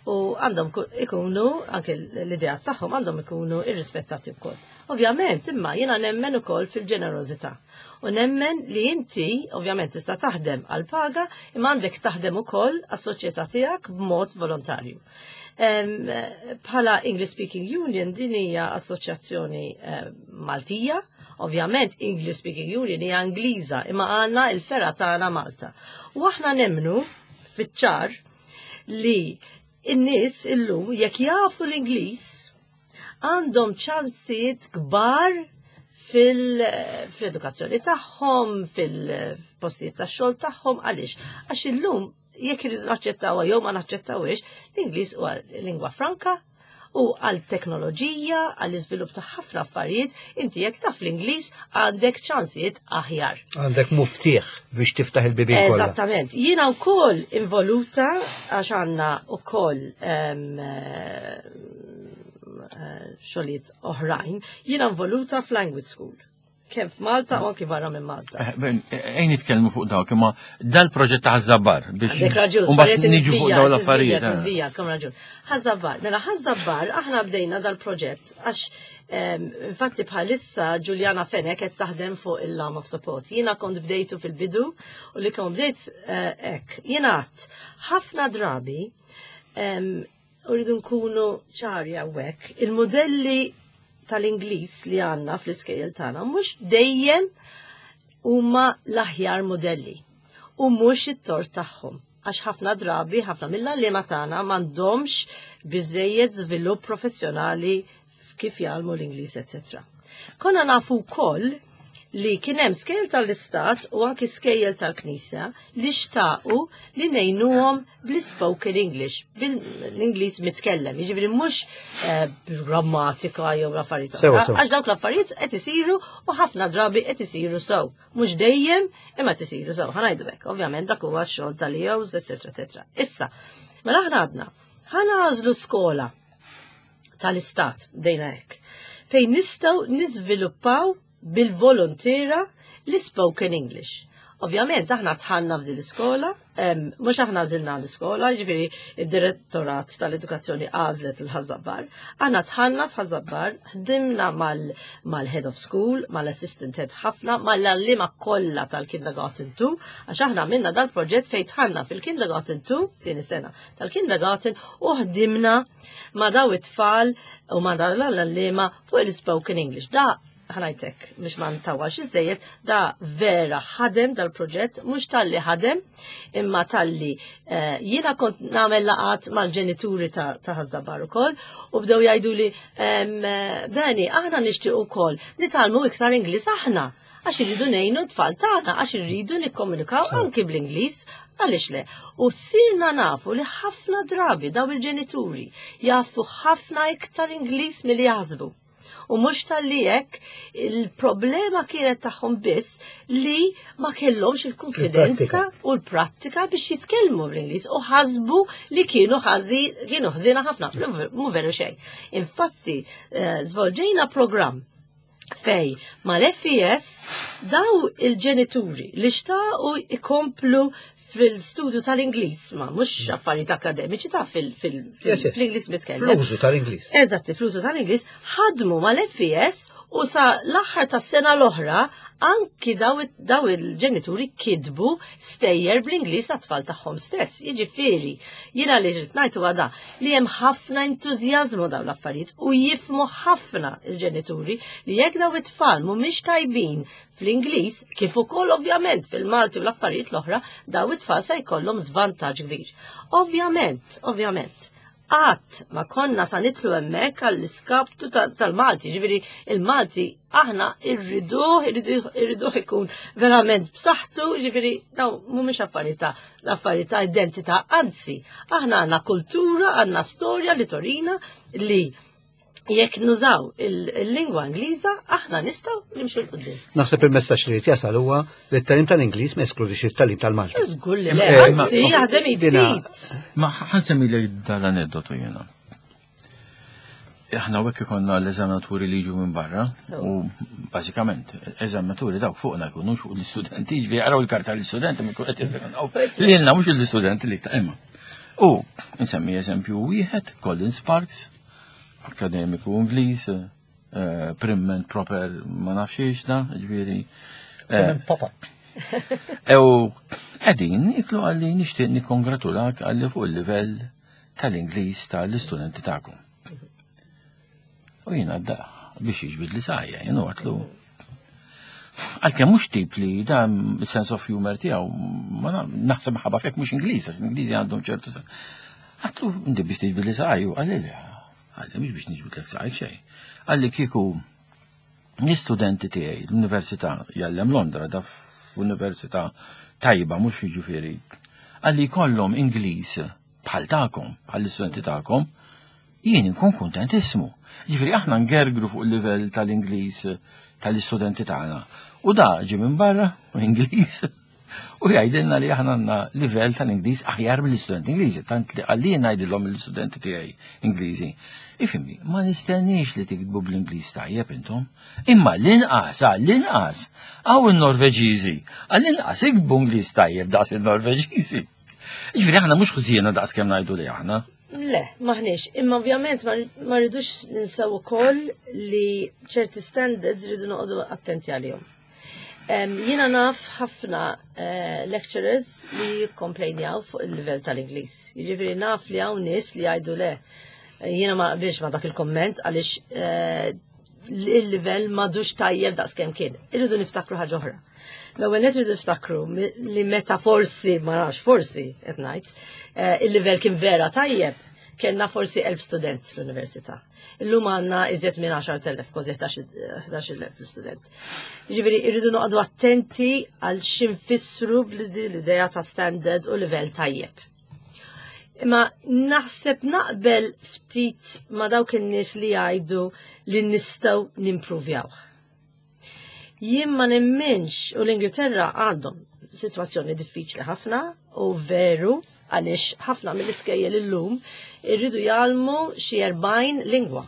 U għandhom ikunu, anke l-idea tagħhom għandhom ikunu irrispettati wkoll. Ovvjament, imma jiena nemmen ukoll fil-ġenerożità. U nemmen li inti, ovvjament, tista' taħdem għal paga, imma għandek taħdem ukoll għas-soċjetà tiegħek b'mod volontarju. Bħala English Speaking Union din hija assoċjazzjoni eh, Maltija, Ovvjament English Speaking Union hija Ingliża imma għandna il-fergħa tagħna Malta. U aħna nemmnu fiċ-ċar li n-nies illum jekk jafu l-Ingliż għandhom ċansijiet kbar fil-edukazzjoni tagħhom, fil-postijiet tax-xogħol tagħhom, għaliex? Għax illum jekk irridu naċċettawha jew ma naċċettawhiex, l-Ingliż huwa lingwa franka u għal teknoloġija, għal iżvilupp ta' ħafna affarijiet, inti jekk taf l-Ingliż għandek ċansijiet aħjar. Għandek muftieħ biex tiftaħ il-bibien kollha. Eżattament. Jiena wkoll involuta għax għandna wkoll eh, xogħlijiet oħrajn, jiena involuta f'language school kemm f'Malta u anki barra minn Malta. Eh, ben, eh, ejn nitkellmu fuq dawk, imma dal-proġett ta' Ħażabbar biex raġun, niġu fuq dawn l-affarijiet. Eh. Żvijat, kom raġun. Ħażabbar, mela Ħażabbar aħna bdejna dal-proġett għax ehm, infatti bħalissa Juliana Fenek qed taħdem fuq il-Lam of Support. Jiena kont bdejtu fil-bidu u li kont bdejt hekk. Jiena ħafna drabi ehm, Uridu nkunu ċari hawnhekk, il-modelli tal-Ingliż li għandna fl-iskejjel tagħna mhux dejjem huma l-aħjar modelli u mhux it-tort tagħhom għax ħafna drabi, ħafna mill-għalliema tagħna m'għandhomx biżejjed żvilupp professjonali kif jgħallmu l-Ingliż, etc. Konna nafu wkoll li kien hemm skejjel tal-Istat u anki skejjel tal-Knisja li xtaqu li ngħinuhom bl-spoken English, bil-Ingliż mitkellem, jiġifieri mhux eh, grammatika jew l-affarijiet. Għax dawk l-affarijiet qed isiru u ħafna drabi qed isiru sew. Mhux dejjem imma qed isiru sew. Ħanajdu hekk, ovvjament dak huwa x-xogħol tal-EOs, eċetera, eċetera. Issa, mela aħna għadna, ħanażlu skola tal-istat, bdejna hekk, fejn nistgħu niżviluppaw bil-volontira l-spoken English. Ovvjament aħna tħanna f'din l-iskola, mhux aħna għażilna l-iskola, jiġifieri id-direttorat tal-edukazzjoni għażlet il-Ħażabbar. Aħna tħanna f'Ħażabbar, ħdimna mal-head of school, mal-assistant head ħafna, mal-għalliema kollha tal-kindergarten 2, għax aħna għamilna dal-proġett fejn tħanna fil-kindergarten 2 din is-sena tal-kindergarten u ħdimna ma' daw it-tfal u ma' daw l-għalliema fuq il-spoken English. Da ħanajtek biex ma ntawalx iżejjed, da vera ħadem dal-proġett, mhux talli ħadem, imma talli eh, jiena kont nagħmel laqat mal-ġenituri ta' Ħażabar ukoll u bdew jgħidu li eh, Beni, aħna nixtieq ukoll nitgħallmu iktar Ingliż aħna għax irridu ngħinu t-tfal tagħna, għax irridu nikkomunikaw anki bl-Ingliż, għaliex le. U sirna nafu li ħafna drabi daw il-ġenituri jafu ħafna iktar Ingliż milli jaħsbu. U mhux talli hekk il-problema kienet tagħhom biss li ma kellhomx il-konfidenza u l-prattika biex jitkellmu bl-Ingliż u ħasbu li kienu ħażi kienu ħżiena ħafna, mhu veru xejn. Infatti, eh, żvolġejna programm fej mal-FES daw il-ġenituri li xtaqu ikomplu fil-studju tal-Ingliż, ma mhux affarijiet akademiċi ta' fil-Ingliż mitkellem. Fl-użu tal-Ingliż. Eżatt, fl-użu tal-Ingliż, ħadmu mal-FES u sa l-aħħar tas-sena l-oħra anki daw il-ġenituri kidbu stejjer bl-Ingliż għat-tfal tagħhom stess. Jiġifieri, jiena li rrid ngħid huwa da li hemm ħafna entużjażmu dawn l-affarijiet u jifmu ħafna il-ġenituri li jekk daw it-tfal mhumiex tajbin fl-Ingliż, kif ukoll ovvjament fil-Malti u l-affarijiet l-oħra, daw it-tfal se jkollhom żvantaġġ kbir. Ovvjament, ovvjament, Qatt ma konna sa nidħlu hemmhekk għall-iskaptu tal-Malti, ġifieri il-Malti aħna irriduh, irriduh ikun verament b'saħħtu, ġifieri daw mhumiex affarijiet ta' l-affarijiet ta' identità, anzi, aħna għandna kultura, għandna storja li torina li jekk nużaw il-lingwa Ingliża, aħna nistgħu nimxu 'l quddiem. Naħseb il-messaġġ li jasal huwa li t-tagħlim tal-Ingliż ma jeskludix it-tagħlim tal-Malti. Żgur li le, eh, anzi jaħdem id Ma ħansemmi li dal-aneddotu jiena. Aħna hekk ikonna l-eżaminaturi li jiġu minn barra u bażikament eżaminaturi dawk fuqna jkunu fuq l-istudenti, ġifieri jaraw il-karta l-istudenti minn qed jeżaminaw. Lilna mhux l-istudenti li ta' imma. U nsemmi eżempju wieħed, Colin Sparks, akademiku Ingliż, eh, prim and proper ma nafx da, ġifieri. Eh, papa. Ew, qegħdin iklu għalli nixtieq nikkongratulak għalli fuq il-livell tal-Ingliż tal-istudenti tagħkom. U jiena da biex jiġbid li sajja, jiena għatlu. Għalkemm mhux tip li dan sense of humor tiegħu ma naħseb ħabba fek mhux Ingliż, għax Ingliżi għandhom ċertu Għatlu inti biex tiġbid li saqajju, għalli le, għalli mhux biex niġbidlek saqajk xejn. Għalli kieku l-istudenti tiegħi l-Università jgħallem Londra da f'università tajba mhux jiġifieri. Għalli jkollhom Ingliż bħal tagħkom, bħal l-istudenti tagħkom, jien inkun kuntentissmu. Jiġifieri aħna ngergru fuq il-livell tal-Ingliż tal-istudenti tagħna. U da ġie minn barra, Ingliż, u jgħidilna li aħna għandna livell tal-Ingliż aħjar mill-istudenti Ingliżi, tant li għalli ngħidilhom l-istudenti tiegħi Ingliżi. Ifhimni, ma nistenniex li tiktbu bl-Ingliż tajjeb intom, imma l-inqas, għall-inqas, hawn in-Norveġiżi, għall-inqas iktbu Ingliż tajjeb daqs il-Norveġiżi. Ġifieri aħna mhux ħżiena daqs kemm ngħidu li aħna. Le, maħniex. Imma ovvjament ma rridux ninsew ukoll li ċerti standards rridu noqogħdu attenti għalihom. Jiena naf ħafna eh, lecturers li jikkomplejnjaw fuq il-livell tal-Ingliż. Jiġifieri naf li hawn nies li jgħidu le. Jiena ma qbilx ma dak il-komment għaliex eh, il-livell madux tajjeb daqs kemm kien. Irridu niftakru ħaġa oħra. L-ewwel qed irridu niftakru li meta forsi, ma nafx forsi qed ngħid, eh, il-livell kien vera tajjeb, kellna forsi 1000 student l-università. Illum għandna iżjed minn 10,000, kważi 11,000 student. Ġifieri irridu noqogħdu attenti għal x'infissru bl-idea ta' standard u livell tajjeb. Imma naħseb naqbel ftit ma dawk in-nies li jgħidu li nistgħu nimpruvjawh. Jien ma nemminx u l-Ingilterra għandhom situazzjoni diffiċli ħafna u veru għaliex ħafna mill-iskejjel illum irridu jgħallmu xi 40 lingwa.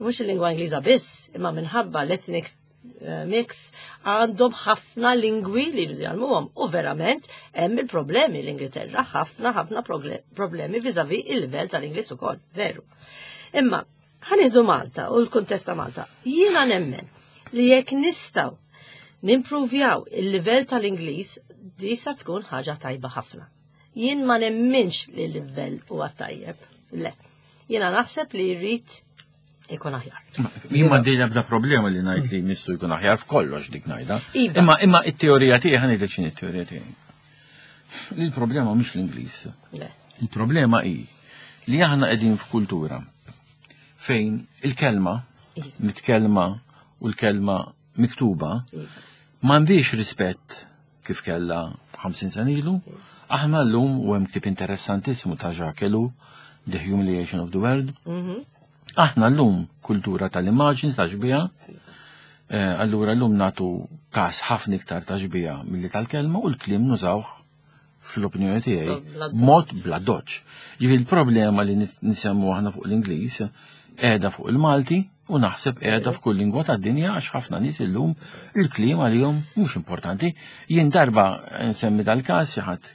Mhux il-lingwa Ingliża biss, imma minħabba l-ethnic eh, mix għandhom ħafna lingwi li jridu jgħallmuhom u verament hemm il-problemi l-Ingilterra ħafna ħafna problemi viżavi il-livell tal-Ingliż ukoll, veru. Imma Ħa nieħdu Malta u l-kuntest ta' Malta. Jiena nemmen li jekk nistgħu nimpruvjaw il-livell tal-Ingliż, di sa tkun ħaġa tajba ħafna. Jien ma nemminx li l-livell huwa tajjeb. Le. Jiena naħseb li jrid ikun aħjar. Jien ma dejja bda problema li ngħid li missu jkun aħjar f'kollox dik ngħidha. Iva. Imma imma it-teorija tiegħi ħa ngħidlek x'inhi t-teorija tiegħi. Il-problema mhux l-Ingliż. Il-problema hi li aħna qegħdin f'kultura fejn il-kelma iva. mitkellma u l-kelma miktuba iva. m'għandix rispett kif kella 50 sena ilu. Iva. Aħna llum u hemm ktieb interessantissimu ta' Jacques Ellul, The Humiliation of the World. Mhm. Aħna llum kultura tal-immaġni ta' xbieha, eh, allura llum nagħtu każ ħafna iktar ta' xbieha milli tal-kelma u l-kliem nużawh fl-opinjoni tiegħi mod bla doċ. Ġifieri il-problema li nisemmu aħna fuq l-Ingliż qiegħda fuq il-Malti u naħseb qiegħda f'kull lingwa tad-dinja għax ħafna nies illum il-kliem għalihom mhux importanti. Jien darba nsemmi dal-każ xi ħadd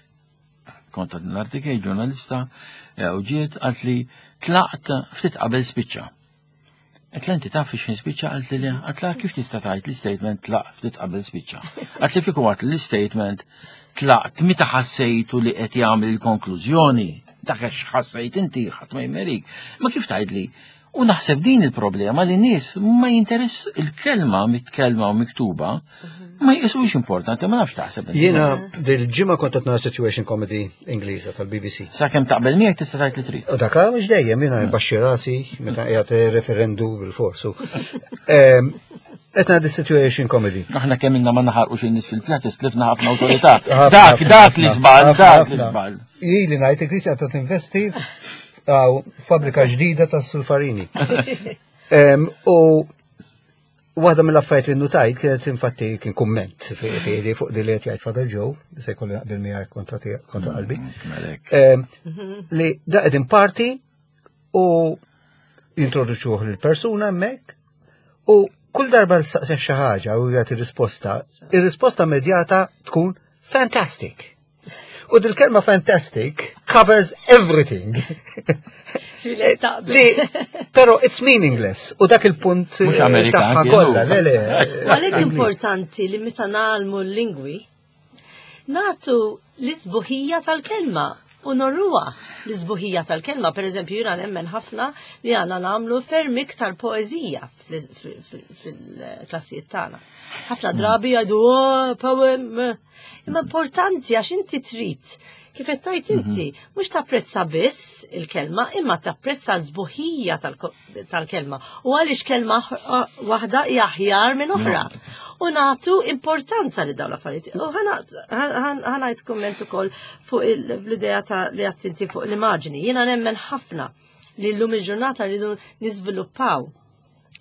kont għad l-artikej ġurnalista eh, u ġiet għalt li tlaqt ftit qabel spiċċa. Għet inti taf fiex spiċċa għalt li għalt la kif tista' tgħid li statement tlaq ftit qabel spiċċa. Għalt li kieku għat li statement tlaqt meta ħassejtu li qed jagħmel il-konklużjoni, dak għax ħassejt inti ħadd ma jmerik. Ma kif tgħid li? U naħseb din il-problema li nies ma jinteress il-kelma mitkellma u miktuba ma jqisux importanti, ma nafx taħseb. Jiena dil-ġimgħa kont qed nara situation comedy Ingliża tal-BBC. Sakemm taqbel miegħek tista' tgħid li trid. U dak mhux dejjem jiena nbaxxi rasi meta qiegħed referendu bil-forsu. Ehm, qed ngħaddi situation comedy. Aħna kemm ilna ma naħarqux in-nies fil-pjazza stlifna ħafna awtorità. Dak dak li żball, dak li żball. Ili ngħid il-Knisja qed tinvesti fabbrika ġdida ta' sulfarini. U waħda mill-affarijiet li nutajt kienet infatti kien kumment fi fuq di li qed jgħid Father Joe, se jkolli naqbel miegħek kontra kontra qalbi. Mm, li da qegħdin parti u jintroduċuh lill-persuna hemmhekk u kull darba l-saqsef xi ħaġa u jagħti risposta, ir-risposta immedjata tkun fantastic. U dil-kelma fantastic covers everything. Li, pero it's meaningless. U dak il-punt Mhux Amerikan, tagħha kollha, le le. Għalhekk importanti li meta nagħlmu l-lingwi, nagħtu l-isbuħija tal-kelma u norruha l-isbuħija tal-kelma. Per eżempju, jiena nemmen ħafna li għandna nagħmlu ferm iktar poeżija fil-klassijiet tagħna. Ħafna drabi jgħidu oh, poem. Imma importanti għax inti trid kif qed tgħid inti, mhm. mhux tapprezza biss il-kelma, imma tapprezza l-sbuħija tal-kelma. U għaliex kelma waħda hija aħjar minn oħra. U nagħtu importanza li dawn l-affarijiet. U ħanajt kumment ukoll fuq l-idea ta' li għattinti fuq l-immaġni. Jiena nemmen ħafna li llum il-ġurnata rridu niżviluppaw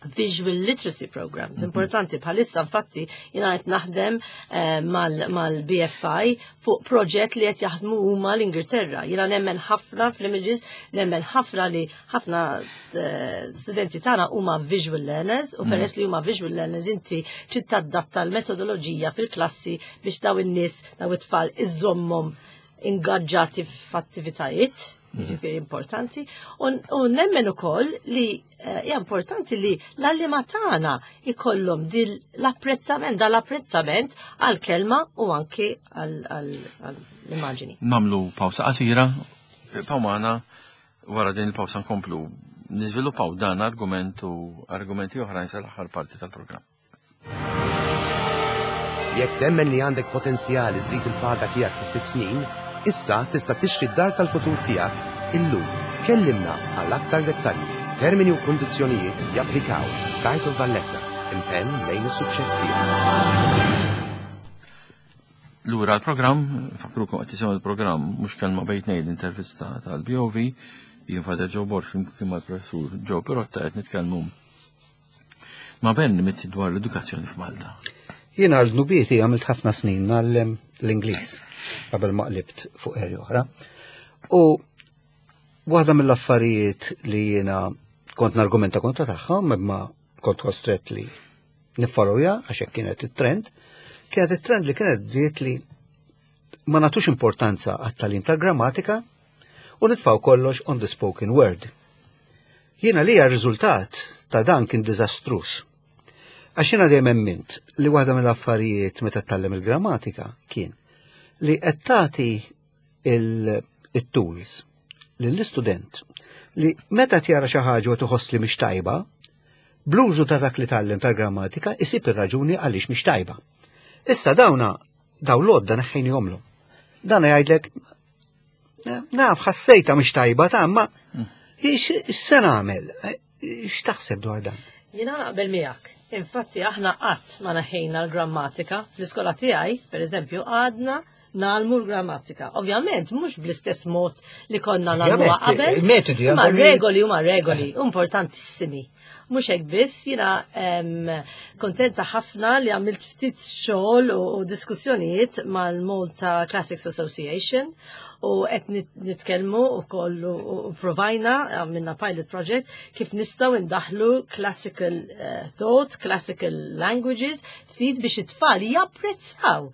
visual literacy programs. Mhm. Importanti bħalissa infatti jina qed naħdem eh, mal-BFI fuq proġett li qed jaħdmu huma l-Ingilterra. Jiena nemmen ħafna fl-images, nemmen ħafna li ħafna eh, studenti tagħna huma visual learners u mhm. peress li huma visual learners inti trid tadatta l-metodoloġija fil-klassi biex daw in-nies daw it-tfal iżommhom ingaġġati f'attivitajiet, mhm. jiġifieri importanti, u nemmen ukoll li eh, hija importanti li l-għalliema tagħna ikollhom dil l-apprezzament, dal-apprezzament għall-kelma u anki għall-immaġini. Namlu pawsa qasira, pawmana wara din il-pawsa nkomplu niżviluppaw dan argument u argumenti oħrajn sal-aħħar parti tal-programm. Jekk temmen li għandek potenzjal iżżid il-paga tiegħek fi ftit snin, issa tista' tixtri d-dar tal-futur tiegħek illum. Kellimna għal aktar dettalji. Termini u kundizzjonijiet japplikaw. Bank of Valletta, impenn lejn is-suċċess tiegħek. Lura l-programm, fakrukom qed tisimgħu l-programm mhux kelma bejn tnejn l-intervista tal-BOV, jien Father Joe Borg flimkien mal-Professur Joe Pirotta qed nitkellmu Ma' Ben Mizzi dwar l-edukazzjoni f'Malta. Jien għal dnubieti għamilt ħafna snin ngħallem l-Ingliż qabel ma qlibt fuq eri oħra. U waħda mill-affarijiet li jiena kont nargumenta kontra tagħhom imma kont kostret li niffollowja għax hekk kienet it-trend, kienet it-trend li kienet bdiet li ma nagħtux importanza għat-tagħlim tal-grammatika u nitfgħu kollox on the spoken word. Jiena li r-riżultat ta' dan kien diżastruż. Għax jiena dejjem emmint li waħda mill-affarijiet meta tgħallem il-grammatika kien li qed tagħti il-tools lill-istudent li meta tjara xi ħaġa u tħoss li mhix tajba, bl-użu ta' dak li tgħallem tal-grammatika isib ir-raġuni għaliex mhix tajba. Issa dawna daw l-għodda neħħejnihomlu. Dan jgħidlek Naf, ħassejta mhix tajba ta' ma x'se nagħmel? X'taħseb dwar dan? Jiena naqbel miegħek. Infatti aħna qatt ma naħejna l-grammatika. Fl-iskola tiegħi, pereżempju, għadna nagħlmu l-grammatika. Ovvjament mhux bl-istess mod li konna nagħmluha qabel. Il-metodi Ma regoli huma regoli importantissimi. Mhux hekk biss, jiena kontenta ħafna li għamilt ftit xogħol u diskussjonijiet mal-Malta Classics Association u qed nitkellmu wkoll u provajna għamilna pilot project kif nistgħu ndaħlu classical eh, thought, classical languages ftit biex it-tfal japprezzaw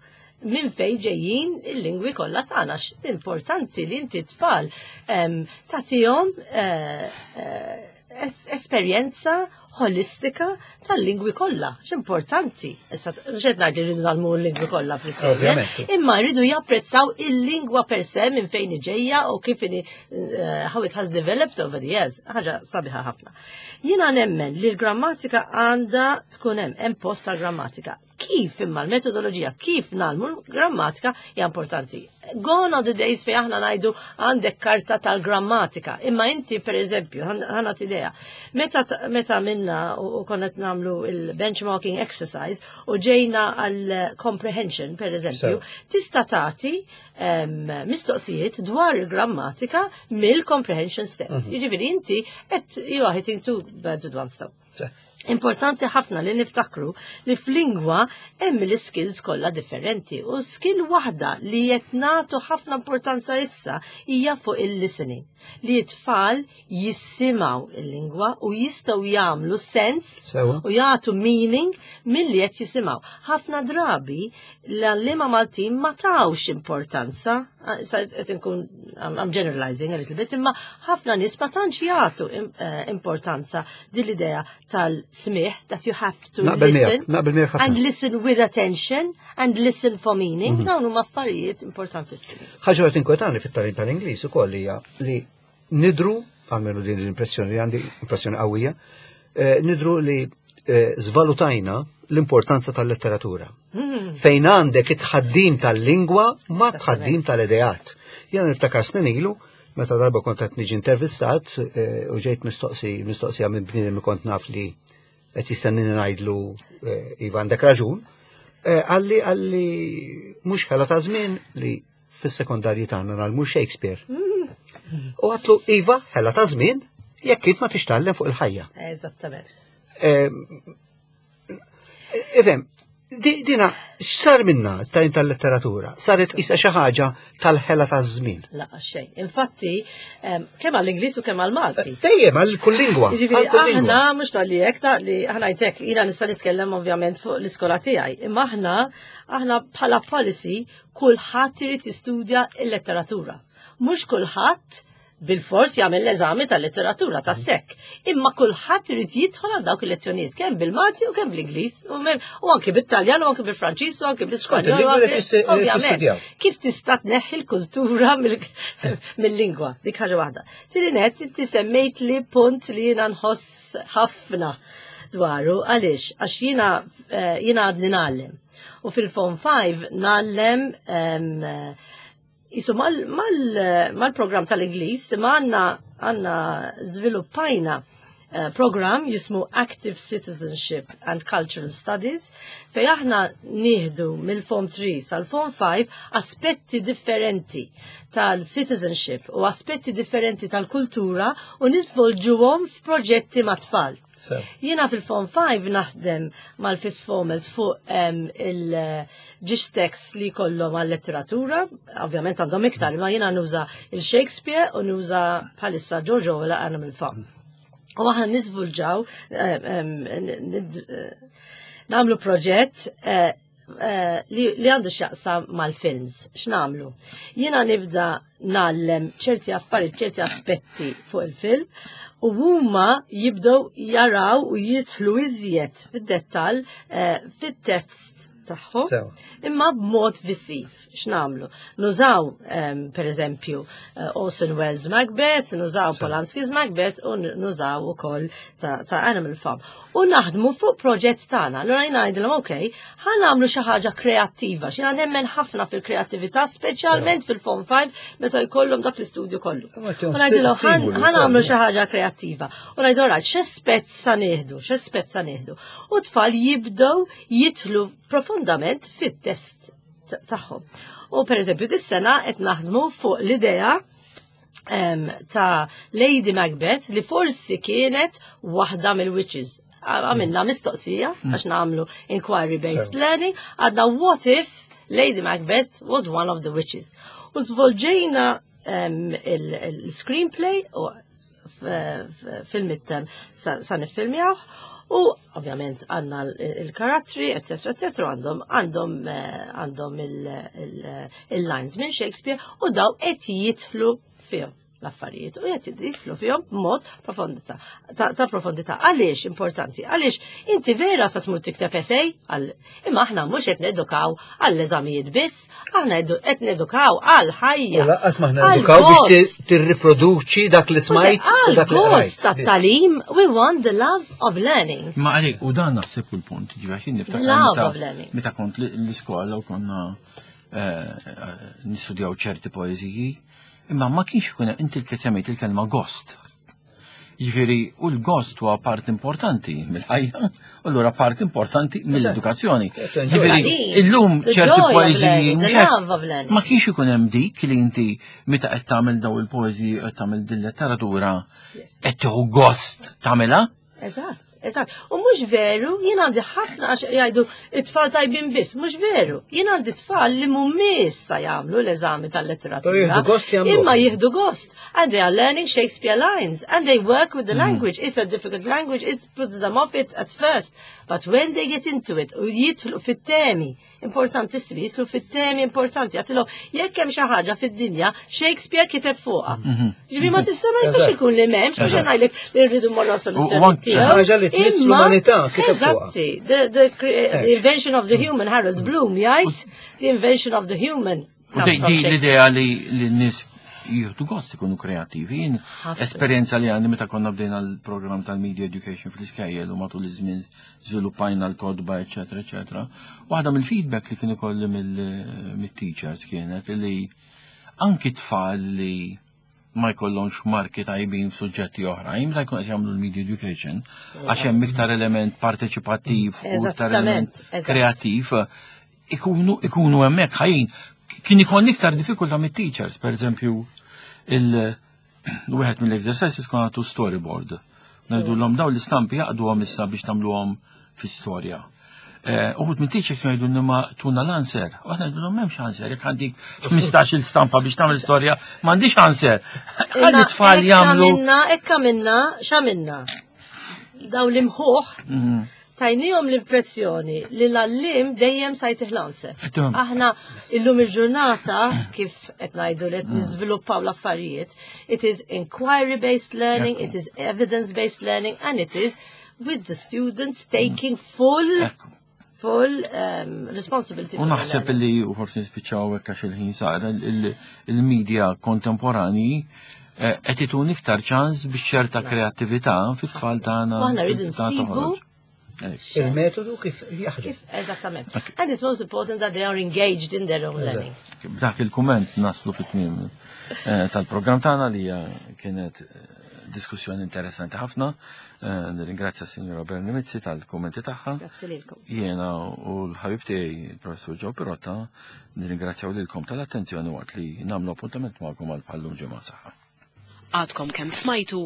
minn fej ġejjin il-lingwi kollha tagħna. Importanti li inti tfal tagħtihom eh, eh, esperjenza holistika tal-lingwi kollha. X'importanti. Issa mhux qed ngħid li rridu nagħmlu l-lingwi kollha fl-iskejjel, imma rridu japprezzaw il-lingwa per se minn fejn ġejja u kif inhi eh, how it has developed over the years. Ħaġa sabiħa ħafna. Jiena nemmen li l-grammatika għandha tkun hemm hemm post tal-grammatika. Kif imma l-metodoloġija, kif nagħmlu l-grammatika hija importanti. Gone are the days fejn aħna ngħidu għandek karta tal-grammatika. Imma inti per eżempju, ħana idea, meta, meta minna u konna nagħmlu il-benchmarking exercise u ġejna għal comprehension per eżempju, tista' tagħti mistoqsijiet dwar il-grammatika mill-comprehension stess. Mhm. Jiġifieri inti qed you are hitting two birds with one stone. Importanti ħafna li niftakru li f'lingwa hemm l-skills kollha differenti u skill waħda li qed nagħtu ħafna importanza issa hija fuq il-listening. Li t-tfal jissimgħu il-lingwa u jistgħu jagħmlu sens u jagħtu meaning milli qed jisimgħu. Ħafna drabi l-għalliema Maltin ma tawx importanza, qed inkun I'm generalizing a little bit, imma ħafna nies ma tantx jagħtu eh, importanza din l-idea tal-smih that you have to listen and listen with attention and listen for meaning. Mhm. Dawn huma affarijiet importantissimi. Ħaġa qed inkwetani fit-tagħlim tal-Ingliż ukoll hija li nidru, għalmenu din l-impressjoni li għandi, impressjoni qawwija, eh, nidru li eh, zvalutajna l-importanza tal-letteratura. Hmm. Fejn għandek it-tħaddim tal-lingwa ma tħaddim tal-ideat. Jena niftakar snin ilu, meta darba kont qed niġi intervistat eh, u ġejt mistoqsi mistoqsija minn bniedem li kont naf li qed jistennini ngħidlu iva għandek raġun, għalli għalli mhux ħela ta' żmien li fis-sekondarji tagħna nagħlmu Shakespeare. U għatlu iva, ħela ta' żmien, jekk int ma tixtallem fuq il-ħajja. Eżattament. Ifhem, dina x'sar minna tajn tal-letteratura? Saret isa xi ħaġa tal-ħela ta' żmien. La xejn. Infatti, kemm għall-Ingliż u kemm għall-Malti. Dejjem għal kull lingwa. Jiġifieri aħna mhux tal-li hekk ta' li aħna jtek jiena nista' nitkellem ovvjament fuq l-iskola tiegħi. Imma aħna aħna bħala policy kulħadd irid jistudja l-letteratura. Mhux kulħadd bil-fors jagħmel l-eżami tal-letteratura tas-sekk. Imma kulħadd irid jidħol għal dawk il-lezzjonijiet kemm bil-Malti u kemm bl-Ingliż u anke bit-Taljan u anke bil-Franċiż u anke bl-Ispanjol. Ovvjament. Kif tista' tneħħi l-kultura mill-lingwa? Dik ħaġa waħda. Tieni net inti semmejt li punt li jiena nħoss ħafna dwaru għaliex għax jiena eh, jiena għadni ngħallem. U fil-Form 5 nallem jisu mal-program tal-Ingliż imma għanna għanna żviluppajna eh, program jismu Active Citizenship and Cultural Studies fej aħna nieħdu mill-Form 3 sal-Form 5 aspetti differenti tal-citizenship u aspetti differenti tal-kultura u niżvolġuhom f'proġetti mat-tfal. Jiena fil-Form 5 naħdem mal-Fifth Formers fuq il-ġiex tekst li kollhom għal-letteratura, ovvjament għandhom iktar, ma jiena nuża il-Shakespeare u nuża bħalissa George Orwell Animal Farm. U aħna niżvulġaw nagħmlu proġett eh, eh, li għandu x'jaqsam mal-films. X'nagħmlu? Jiena nibda ngħallem ċerti affarijiet, ċerti aspetti fuq il-film u huma jibdew jaraw u jidħlu iżjed fid-dettall eh, fit-test tagħhom imma b'mod visiv. X'nagħmlu? Nużaw ehm, per eżempju eh, Orson Welles Macbeth, nużaw Polanski's Macbeth u nużaw ukoll ta', ta Animal Farm. U naħdmu fuq proġett tagħna. Allura jien ngħidilhom ok, ħa nagħmlu xi ħaġa kreattiva, x'jiena nemmen ħafna fil-kreattività, speċjalment fil-Form 5 meta jkollhom dak l-istudju kollu. U ngħidilhom ħa nagħmlu xi ħaġa kreattiva. U ngħidu rajt x'aspett sa nieħdu, x'aspett sa nieħdu. U tfal jibdew jidħlu profondament fit-test tagħhom. U per eżempju, dis-sena qed naħdmu fuq l-idea ta' Lady Macbeth li forsi kienet waħda mill-witches. Għamilna mistoqsija mm. għax nagħmlu inquiry based learning, għadna what if Lady Macbeth was one of the witches. U zvolġejna il-screenplay u fil-midterm sa niffilmjaw u ovvjament għanna il-karattri, etc. etc. għandhom għandhom eh, għandhom il-lines minn Shakespeare u daw qed jitħlu fihom. l-affarijiet u qed jidħlu fihom b'mod profondità ta' profondità. Għaliex importanti? Għaliex inti vera sa tmur tikteb essay għal imma aħna mhux qed nedukaw għall-eżamijiet biss, aħna qed nedukaw għal ħajja. U lanqas ma aħna edukaw biex tirriproduċi dak li smajt u dak li gost tat-talim, we want the love of learning. Ma għalik, u dan naħseb il-punt, ġifieri niftakar. Love of learning. Meta kont l-iskola u konna eh, eh, nistudjaw ċerti poeżiji, imma ma kienx ikun inti l il-kelma gost. Jiġifieri, u l-gost huwa part importanti mill-ħajja, u allura part importanti mill-edukazzjoni. Jiġifieri, illum ċerti poeżiji ma kienx ikun hemm dik li inti meta qed tagħmel daw il-poeżiji qed tagħmel din letteratura qed tieħu gost tagħmilha. Eżatt. Eżatt. U mhux veru, jien għandi ħafna għax jgħidu it-tfal tajbin biss, mhux veru. Jien għandi tfal li mhumiex sa jagħmlu l-eżami tal-letteratura. Jieħdu gost jagħmlu. Imma jieħdu gost. And they are learning Shakespeare lines and they work with the language. It's a difficult language, it puts them off it at first. But when they get into it, u jidħlu fit-temi, importantissimi, jidħlu fit-temi importanti, għatilhom jekk hemm xi ħaġa fid-dinja, Shakespeare kiteb fuqha. Ġifieri ma tista' ma jistax ikun li m'hemmx, mhux ngħidlek li rridu mmorru soluzzjoni tiegħu. Ħaġa li tmiss l-umanità kiteb fuqha. Eżatti, the invention of the human, Harold Bloom jgħid, the invention of the human. U di l-idea li n-nies jieħdu gost ikunu kreativi. Jien esperjenza li għandi meta konna bdejna l-programm tal-Media Education fl-iskejjel u matul iż-żmien żviluppajna l-kotba, eċetera, eċetera. Waħda mill-feedback li kien ikolli mill-teachers kienet li anki tfal li ma jkollhomx marki tajbin f'suġġetti oħrajn, meta jkun qed jagħmlu l-media education, għax hemm iktar element parteċipattiv u iktar element kreattiv, ikunu hemmhekk ħajjin. Kien ikun iktar diffikultà mit-teachers, per eżempju, il-wieħed mill-exercises kon għatu storyboard. Ngħidulhom daw l-istampi jaqduhom issa biex tagħmluhom fi storja. Uħud minn teachers kienu jgħidu ma tuna l-answer. U aħna ngħidulhom m'hemmx answer, jekk għandik 15 il-stampa biex tagħmel storja, m'għandix answer. Ħalli tfal jagħmlu. Ekka minna, x'għamilna? Daw l-imħuħ tajnihom l-impressjoni li l-għallim dejjem sa jtih l-answer. Aħna illum il-ġurnata kif qed ngħidu li qed niżviluppaw l-affarijiet, it is inquiry-based learning, it is evidence-based learning, and it is with the students taking full full responsibility. U naħseb li u forsi nispiċċaw hekk għax il-ħin sar il-media kontemporani qed itun iktar ċans biex ċerta kreattività fit-tfal tagħna. U aħna rridu nsibu Il-metodu kif jaħdem. Eżattament. And it's most important that they are engaged in their own learning. B'dak il-kumment naslu fit-tmiem tal-programm tagħna li kienet diskussjoni interessanti ħafna. Nirringrazzja s-Sinjora Bernie Mizzi tal-kummenti tagħha. Grazzi lilkom. Jiena u l-ħabib tiegħi, il-Professur Joe Pirotta, nirringrazzjaw lilkom tal-attenzjoni waqt li nagħmlu appuntament magħkom għal bħallum ġimgħa saħħa. Għadkom kemm smajtu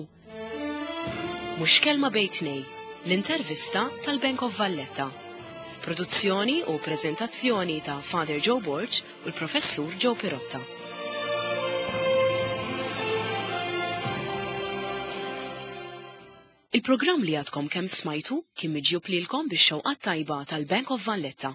Mhux kelma bejn tnejn, l-intervista tal-Bank of Valletta. Produzzjoni u prezentazzjoni ta' Father Joe Borg u l-Professur Joe Pirotta. Il-programm li għadkom kemm smajtu kien miġjub lilkom bix-xewqat tajba tal-Bank of Valletta.